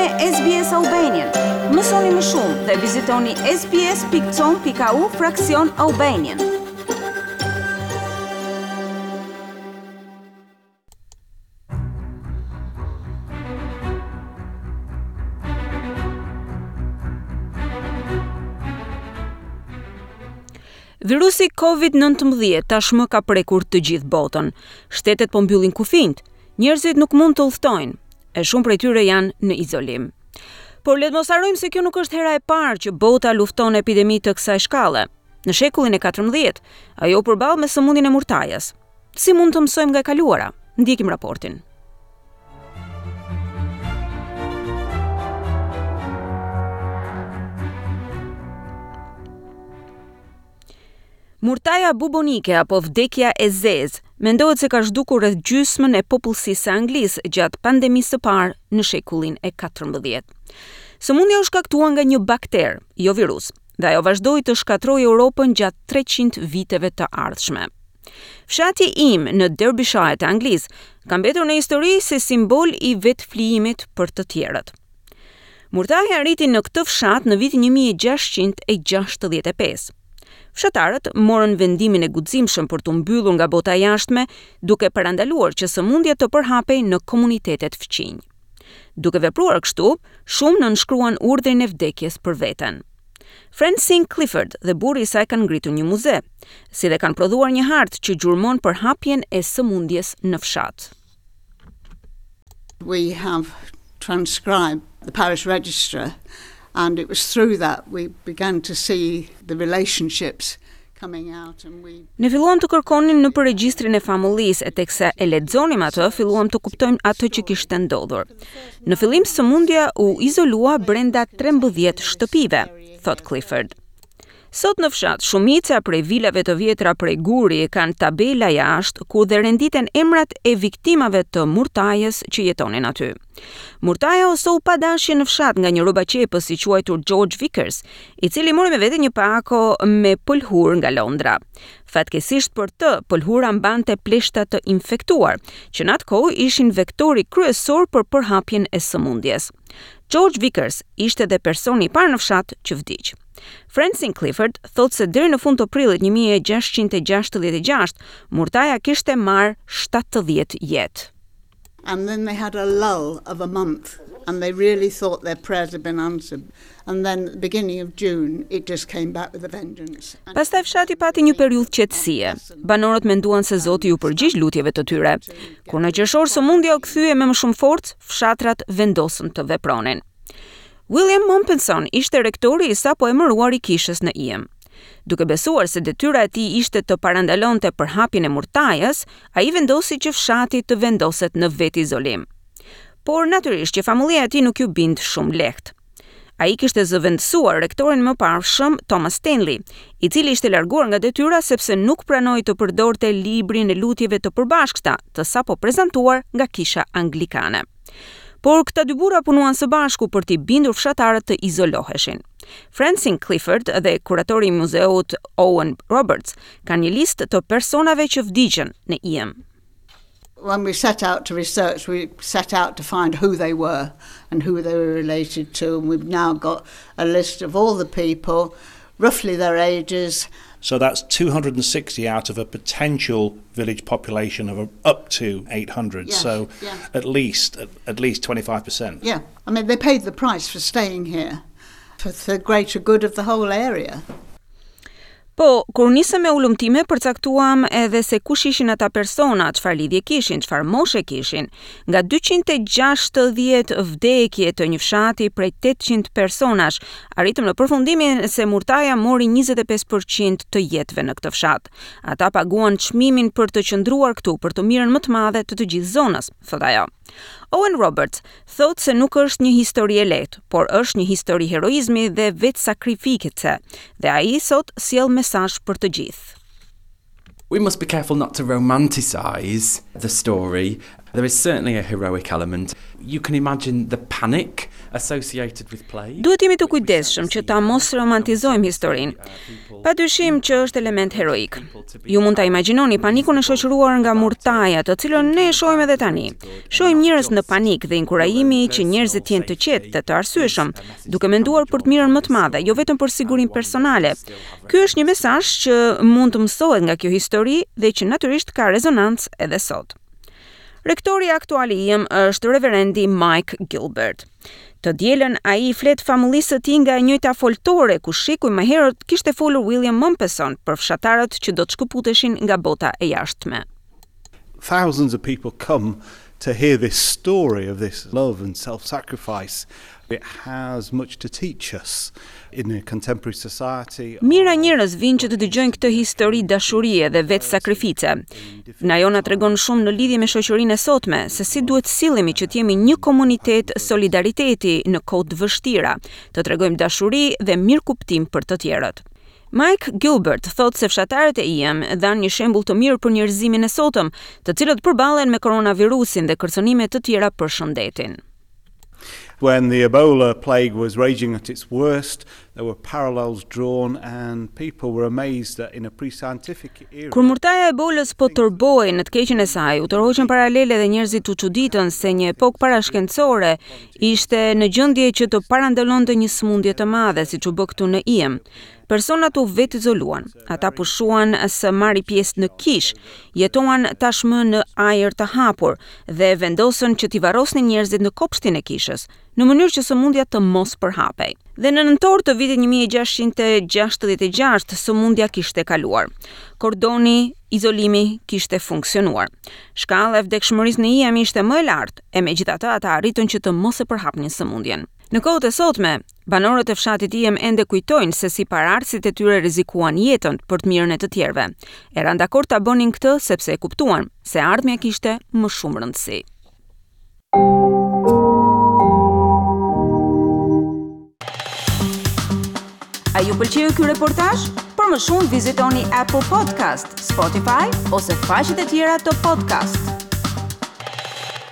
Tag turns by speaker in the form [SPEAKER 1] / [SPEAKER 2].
[SPEAKER 1] me SBS Albanian. Mësoni më shumë dhe vizitoni sbs.com.au fraksion Albanian. Virusi COVID-19 tashmë ka prekur të gjithë botën. Shtetet po mbyllin kufinjtë, njerëzit nuk mund të udhëtojnë, e shumë prej tyre janë në izolim. Por le të mos harrojmë se kjo nuk është hera e parë që bota lufton epidemi të kësaj shkalle. Në shekullin e 14, ajo u përball me sëmundjen e murtajës. Si mund të mësojmë nga e kaluara? Ndjekim raportin. Murtaja bubonike apo vdekja e zezë mendohet se ka zhdukur rreth gjysmën e popullsisë së Anglisë gjatë pandemisë së parë në shekullin e 14. Sëmundja u shkaktua nga një bakter, jo virus, dhe ajo vazhdoi të shkatërrojë Europën gjatë 300 viteve të ardhshme. Fshati Eyam në Derbyshire të Anglisë ka mbetur në histori si simbol i vetëflijimit për të tjerët. Murtaja arriti në këtë fshat në vitin 1665. Fshatarët morën vendimin e guximshëm për t'u mbyllur nga bota e jashtme, duke parandaluar që sëmundja të përhapej në komunitetet fqinj. Duke vepruar kështu, shumë nënshkruan urdhrin e vdekjes për veten. Francine Clifford dhe burri i saj kanë ngritur një muze, si dhe kanë prodhuar një hartë që gjurmon përhapjen e sëmundjes në fshat.
[SPEAKER 2] We have transcribed the parish register and it was through that we began to see the relationships coming out and
[SPEAKER 1] we Ne filluam të kërkonim nëpër regjistrin e famullisë e teksa e lexonim atë, filluam të kuptojmë atë që kishte ndodhur. Në fillim sëmundja u izolua brenda 13 shtëpive, thotë Clifford. Sot në fshat, shumica prej vilave të vjetra prej guri kanë tabela jashtë ku dhe renditen emrat e viktimave të murtajës që jetonin aty. Murtaja u soll pa dashje në fshat nga një rrobaqepës i quajtur George Vickers, i cili mori me vete një pako me pëlhurë nga Londra. Fatkeqësisht për të, pëlhura mbante pleshta të infektuar, që në atë kohë ishin vektori kryesor për përhapjen e sëmundjes. George Vickers ishte dhe personi i parë në fshat që vdiq. Francine Clifford thotë se deri në fund të prillit 1666, murtaja kishte marrë 70 jetë.
[SPEAKER 2] And then they had a lull of a month and they really thought their prayers had been answered. And then the beginning of June it just came back with a vengeance.
[SPEAKER 1] Pastaj fshati pati një periudhë qetësie. Banorët menduan se Zoti iu përgjigj lutjeve të tyre. Kur në qershor sëmundja u kthye me më shumë forcë, fshatrat vendosën të vepronin. William Mompesson ishte rektori i sapo emëruar i kishës në Eyam. Duke besuar se detyra e tij ishte të parandalonte përhapjen e murtajës, ai vendosi që fshati të vendoset në vetizolim. Por natyrisht që famullia e tij nuk iu bind shumë lehtë. Ai kishte zëvendësuar rektorin e mëparshëm Thomas Stanley, i cili ishte larguar nga detyra sepse nuk pranoi të përdorte librin e lutjeve të përbashkëta të sapo prezantuar nga kisha anglikane. Por këta dy burra punuan së bashku për t'i bindur fshatarët të izoloheshin. Francine Clifford dhe kuratori i muzeut Owen Roberts kanë një listë të personave që vdiqën në Eyam.
[SPEAKER 2] When we set out to research, we set out to find who they were and who they were related to, and we've now got a list of all the people, roughly their ages.
[SPEAKER 3] So that's 260 out of a potential village population of up to 800.
[SPEAKER 2] Yes,
[SPEAKER 3] so
[SPEAKER 2] yeah.
[SPEAKER 3] at least at, at least 25%.
[SPEAKER 2] Yeah. I mean they paid the price for staying here for the greater good of the whole area.
[SPEAKER 1] Po, kur nisëm me hulumtime, përcaktuam edhe se kush ishin ata persona, çfarë lidhje kishin, çfarë moshe kishin. Nga 260 vdekje të një fshati prej 800 personash, arritëm në përfundimin se murtaja mori 25% të jetëve në këtë fshat. Ata paguan çmimin për të qëndruar këtu për të mirën më të madhe të të gjithë zonës, thotë ajo. Owen Roberts thotë se nuk është një histori e lehtë, por është një histori heroizmi dhe vetësakrifice, dhe ai sot sjell mesazh për të gjithë.
[SPEAKER 4] We must be careful not to romanticize the story. There is certainly a heroic element. You can imagine the panic associated with plague.
[SPEAKER 1] Duhet të jemi të kujdesshëm që ta mos romantizojmë historinë. Pa dyshim që është element heroik. Ju mund ta imagjinoni panikun e shoqëruar nga murtaja, të cilën ne e shohim edhe tani. Shohim njerëz në panik dhe inkurajimi që njerëzit të jenë të qetë dhe të arsyeshëm, duke menduar për të mirën më të madhe, jo vetëm për sigurinë personale. Ky është një mesazh që mund të mësohet nga kjo histori dhe që natyrisht ka rezonancë edhe sot. Rektori aktual i Eyam është reverendi Mike Gilbert. Të dielën ai i flet famullisë së tij nga e njëjta foltore ku shekuj më herët kishte folur William Mompesson për fshatarët që do të shkëputeshin nga bota e jashtme.
[SPEAKER 5] Thousands of people come to hear this story of this love and self-sacrifice. It has much to teach us in a contemporary society.
[SPEAKER 1] Mijëra njerëz vijnë që të dëgjojnë këtë histori dashurie dhe vetësakrifice. Ajo na tregon shumë në lidhje me shoqërinë e sotme, se si duhet të sillemi që të jemi një komunitet solidariteti në kohë të vështira, të tregojmë dashuri dhe mirëkuptim për të tjerët. Mike Gilbert thotë se fshatarët e Eyam dhanë një shembull të mirë për njerëzimin e sotëm, të cilët përballen me koronavirusin dhe kërcënime të tjera për shëndetin.
[SPEAKER 5] When the Ebola plague was raging at its worst, there were parallels drawn and people were amazed that in a pre-scientific era
[SPEAKER 1] Kur murtaja e Ebolës po tërbohej në të keqen e saj, u tërhoqën paralele dhe njerëzit u çuditën se një epokë parashkencore ishte në gjendje që të parandalonte një sëmundje të madhe, siç u bë këtu në Eyam. Personat u vetizoluan, ata pushuan së marri pjesë në kishë, jetuan tashmë në ajër të hapur dhe vendosën që t'i varrosnin njerëzit në kopshtin e kishës, në mënyrë që sëmundja të mos përhapej. Dhe në nëntor të vitit 1666 sëmundja kishte kaluar. Kordoni, izolimi kishte funksionuar. Shkalla e vdekshmërisë në Eyam ishte më e lartë, e megjithatë ata arritën që të mos e përhapnin sëmundjen. Në kohët e sotme, banorët e fshatit Eyam ende kujtojnë se si paraardhësit e tyre rrezikuan jetën për të mirën e të tjerëve. E ranë dakord ta bënin këtë sepse e kuptuan se ardhmja kishte më shumë rëndësi. A ju pëlqeu ky reportazh? Për më shumë vizitoni Apple Podcast, Spotify ose faqet e tjera të podcast.